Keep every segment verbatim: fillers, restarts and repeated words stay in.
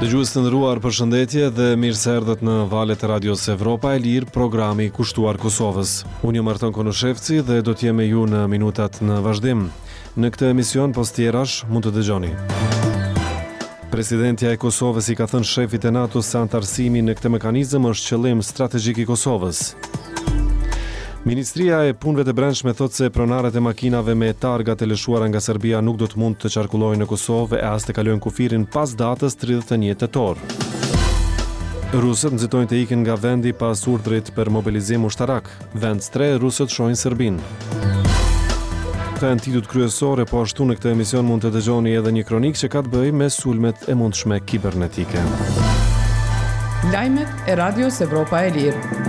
Dëgjues të nderuar, përshëndetje dhe mirë se erdhët në valët e Radios Evropa e Lirë, programi kushtuar Kosovës. Unë jam Arton Konushevci dhe do të jem me ju në minutat në vazhdim. Në këtë emision pos tjerash mund të dëgjoni. Presidentja e Kosovës i ka thënë shefit të NATO-s se anëtarësimi në këtë mekanizëm është qëllim strategjik i Kosovës. Ministria e Punëve të Brendshme thotë se pronarët e makinave me targa të lëshuara nga Serbia nuk do të mund të qarkullojnë në Kosovë e as të kalojnë kufirin pas datës tridhjetë e një tetor. Rusët nxitojnë të ikin nga vendi pas urdhrit për mobilizim ushtarak. Vend strehë rusët shohin Serbinë. Këta janë titujt kryesore, po ashtu në këtë emision mund të dëgjoni edhe një kronikë që ka të bëjë me sulmet e mundshme kibernetike. Lajmet e Radios Evropa e Lirë.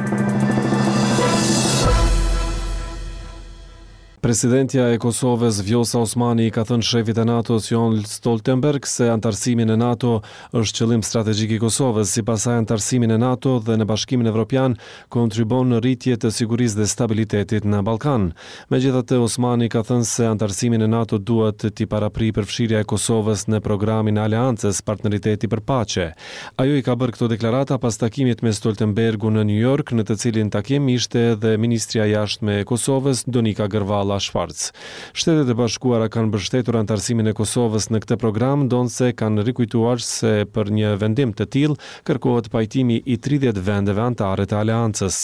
Presidentja e Kosovës Vjosa Osmani i ka thënë shefit të NATO-s Jens Stoltenberg se anëtarësimi në NATO është qëllim strategjik i Kosovës. Sipas saj, anëtarësimi në NATO dhe në Bashkimin Evropian kontribuon në rritje të sigurisë dhe stabilitetit në Ballkan. Megjithatë, Osmani ka thënë se anëtarësimi në NATO duhet t'i paraprijë përfshirja e Kosovës në programin e Aleancës Partneriteti për Paqe. Ajo i ka bërë këto deklarata pas takimit me Stoltenbergun në New York, në të cilin takim ishte edhe ministrja e jashtme e Kosovës, Donika Gërvalla Schwarz. Shtetet e Bashkuara kanë mbështetur anëtarësimin e Kosovës në këtë program, ndonëse kanë rikujtuar se për një vendim të tillë kërkohet pajtimi i tridhjetë vendeve anëtare të aleancës.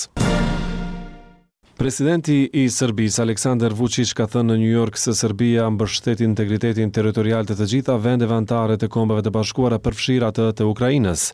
Presidenti i Serbisë, Aleksandar Vučić, ka thënë në New York se Serbia mbështet integritetin territorial të të gjitha vendeve anëtare të Kombeve të Bashkuara, përfshirë atë të Ukrainës.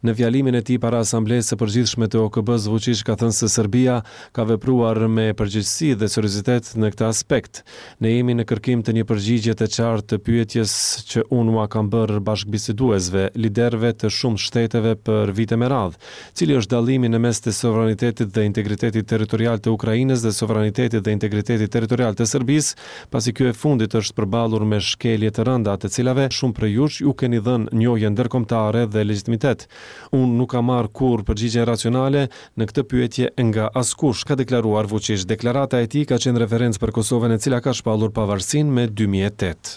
Në fjalimin e tij para Asamblesë së Përgjithshme të O K B-s, Vučić ka thënë se Serbia ka vepruar me përgjegjësi dhe seriozitet në këtë aspekt. "Ne jemi në kërkim të një përgjigje të qartë të pyetjes që unë ua kam bërë bashkëbiseduesve, liderëve të shumë shteteve për vite me radhë. Cili është dallimi në mes të sovranitetit dhe integritetit territorial të Ukrainës dhe sovranitetit dhe integritetit territorial të Serbisë, pasi kjo e fundit është përballur me shkelje të rënda, të cilave shumë prej jush ju keni dhënë njohje ndërkombëtare dhe legitimitet? Unë nuk kam marrë kurrë përgjigje racionale në këtë pyetje nga askush", ka deklaruar Vučić. Deklarata e tij ka qenë referencë për Kosovën, e cila ka shpallur pavarësinë me dy mijë e tetë.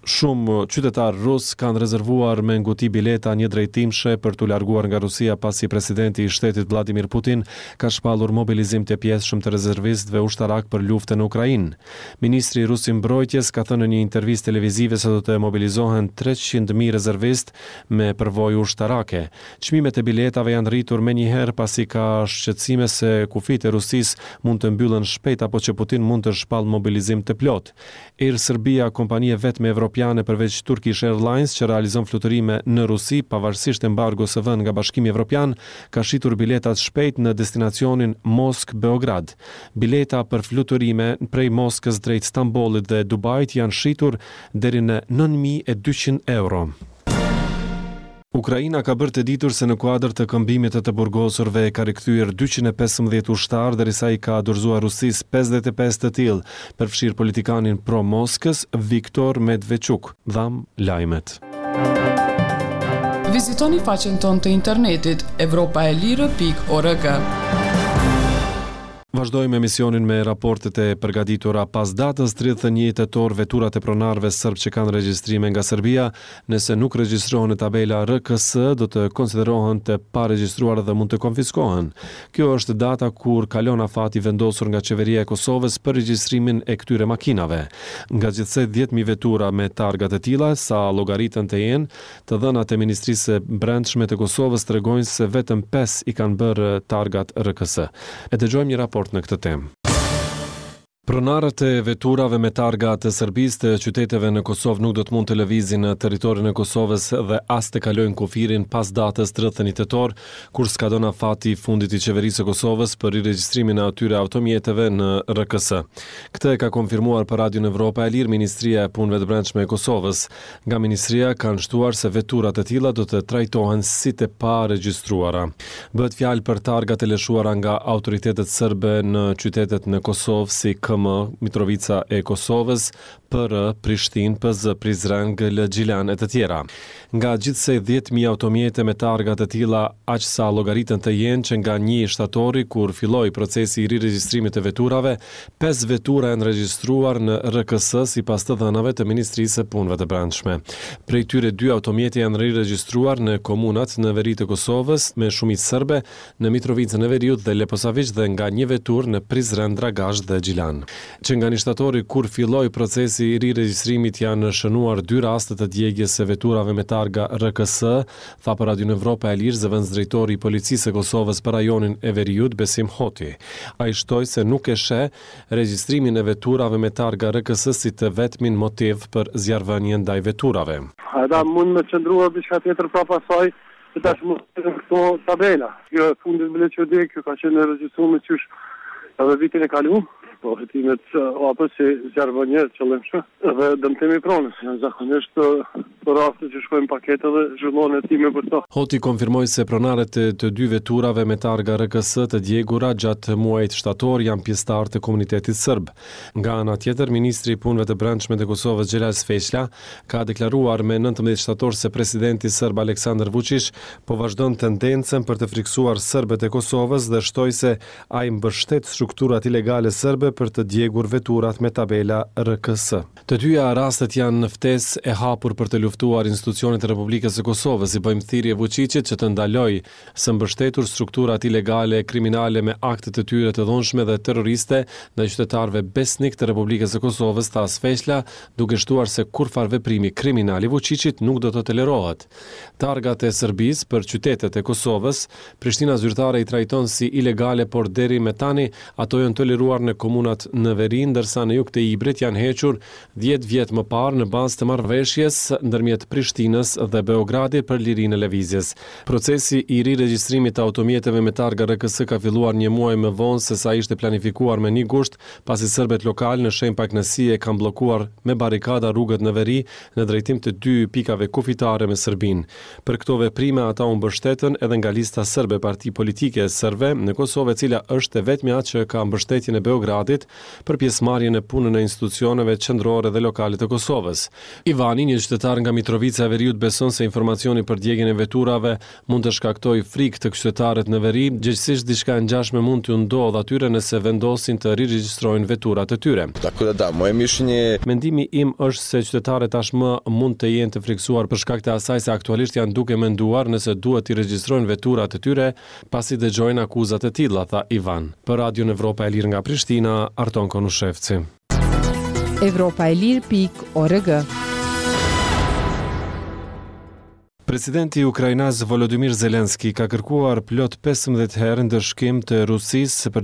Shumë qytetarë rus kanë rezervuar me nguti bileta një drejtimshe për t'u larguar nga Rusia, pasi presidenti i shtetit Vladimir Putin ka shpallur mobilizim të pjesshëm të rezervistëve ushtarak për luftën në Ukrainë. Ministri rus i Mbrojtjes ka thënë në një intervistë televizive se do të mobilizohen treqind mijë rezervistë me përvojë ushtarake. Çmimet e biletave janë rritur menjëherë, pasi ka shqetësime se kufijtë e Rusisë mund të mbyllen shpejt apo që Putin mund të shpallë mobilizim të plotë. Air Serbia, kompani e vetme evropiane përveç Turkish Airlines që realizon fluturime në Rusi, pavarësisht embargos së vënë nga Bashkimi Evropian, ka shitur biletat shpejt në destinacionin Moskë-Beograd. Bileta për fluturime prej Moskës drejt Stambollit dhe Dubait janë shitur deri në nëntë mijë e dyqind euro. Ukraina ka bërë të ditur se në kuadër të këmbimit të të burgosurve ka rikthyer dyqind e pesëmbëdhjetë ushtarë, derisa i ka dorëzuar Rusisë pesëdhjetë e pesë të tillë, përfshirë politikanin pro Moskës Viktor Medvedchuk. Dham lajmet. Vizitoni faqen tonë të internetit evropaelire pikë org. Vazhdojmë emisionin me raportet e përgatitura. Pas datës tridhjetë e një tetor, veturat e pronarëve sërb që kanë regjistrime nga Serbia, nëse nuk regjistrohen në tabela R K S, do të konsiderohen të paregjistruar dhe mund të konfiskohen. Kjo është data kur kalon afati vendosur nga qeveria e Kosovës për regjistrimin e këtyre makinave. Nga gjithsej dhjetë mijë vetura me targa të tilla, sa llogaritën të jenë, të dhënat e Ministrisë së Brendshme të Kosovës tregojnë se vetëm pesë i kanë bërë targat R K S. E dëgjojmë një raport në këtë temë. Pronarët e veturave me targa të Serbisë të qyteteve në Kosovë nuk do të mund të lëvizin në territorin e Kosovës dhe as të kalojnë kufirin pas datës tridhjetë e një tetor, kur skadon afati i fundit i qeverisë së Kosovës për riregjistrimin e atyre automjeteve në R K S. Këtë e ka konfirmuar për Radion Evropa e Lirë Ministria e Punëve të Brendshme e Kosovës. Nga ministria kanë shtuar se veturat e tilla do të trajtohen si të paregjistruara. Bëhet fjalë për targat e lëshuara nga autoritetet serbe në qytetet në Kosovë si K M, Mitrovica e Kosovës, P R, Prishtinë, P Z, Prizren, G L, Gjilan e të tjera. Nga gjithsej dhjetë mijë automjete me targa të tilla, aq sa llogaritën të jenë që nga një shtatori, kur filloi procesi i riregjistrimit të veturave, pesë vetura janë regjistruar në R K S sipas të dhënave të Ministrisë së Punëve të Brendshme. Prej tyre, dy automjete janë riregjistruar në komunat në veri të Kosovës me shumicë serbe, në Mitrovicën e Veriut dhe Leposaviq, dhe nga një veturë në Prizren, Dragash dhe Gjilan. Që nga një shtatori, kur filloi procesi i riregjistrimit, janë shënuar dy raste të djegjes së veturave me targa R K S, tha për Radion Evropa e Lirë zëvendësdrejtori i Policisë së Kosovës për rajonin e Veriut, Besim Hoti. Ai shtoi se nuk e sheh regjistrimin e veturave me targa R K S si të vetmin motiv për zjarrvënien ndaj veturave. Ata mund me qëndruar diçka tjetër prapa saj, që tash mund të këto tabela. Kjo e fundit bile që di, kjo ka qenë e regjistruar qysh edhe vitin e kaluar. Po hetimet apo si zjarrvënie qëllimshme dhe dëmtimi i pronës. Janë zakonisht për raste që shkojnë pakete dhe zhvillohen hetime për to. Hoti konfirmoi se pronarët e të dy veturave me targa R K S të djegura gjatë muajit shtator janë pjesëtar të komunitetit serb. Nga ana tjetër, ministri i Punëve të Brendshme të Kosovës, Xhelal Sveçla, ka deklaruar me nëntëmbëdhjetë shtator se presidenti serb Aleksandar Vučić po vazhdon tendencën për të friksuar serbët e Kosovës dhe shtoi se ai mbështet strukturat ilegale serbe për të djegur veturat me tabela R K S. Të dyja rastet janë në ftesë e hapur për të luftuar institucionet e Republikës së Kosovës. I bëjmë thirrje Vučićit që të ndalojë së mbështetur strukturat ilegale e kriminale me aktet e tyre të dhunshme dhe terroriste ndaj qytetarëve besnik të Republikës së Kosovës, tha Sveçla, duke shtuar se kurrfar veprimi kriminal i Vučićit nuk do të tolerohet. Targat e Serbisë për qytetet e Kosovës, Prishtina zyrtare i trajton si ilegale, por deri me tani ato janë toleruar në komunat në veri, ndërsa në jug të Ibrit janë hequr dhjetë vjet më parë në bazë të marrëveshjes ndërmjet Prishtinës dhe Beogradit për lirinë e lëvizjes. Procesi i riregjistrimit të automjeteve me targa R K S ka filluar një muaj më vonë se sa ishte planifikuar, me një gusht, pasi serbët lokal në shenjë pakënaqësie kanë bllokuar me barikada rrugët në veri në drejtim të dy pikave kufitare me Serbinë. Për këto veprime ata u mbështetën edhe nga Lista Serbe, parti politike serbe në Kosovë, e cila është e vetmja që ka mbështetjen e Beogradit për pjesëmarrjen në punën e institucioneve qendrore dhe lokale të Kosovës. Ivani, një qytetar nga Mitrovica e Veriut, beson se informacioni për djegjen e veturave mund të shkaktojë frikë tek qytetarët në veri, gjegjësisht diçka e ngjashme mund t'u ndodhë atyre nëse vendosin të riregjistrojnë veturat e tyre. Tako da da, moje mišljenje Mendimi im është se qytetarët tashmë mund të jenë të friksuar për shkak të asaj se aktualisht janë duke menduar nëse duhet t'i regjistrojnë veturat e tyre pasi dëgjojnë akuzat e tilla, tha Ivan. Për Radion Evropa e Lirë nga Prishtina, Arton Konushevci. Evropa e lirë pikë org. Presidenti ukrainas Volodymyr Zelensky ka kërkuar plot pesëmbëdhjetë herë ndëshkim të Rusisë për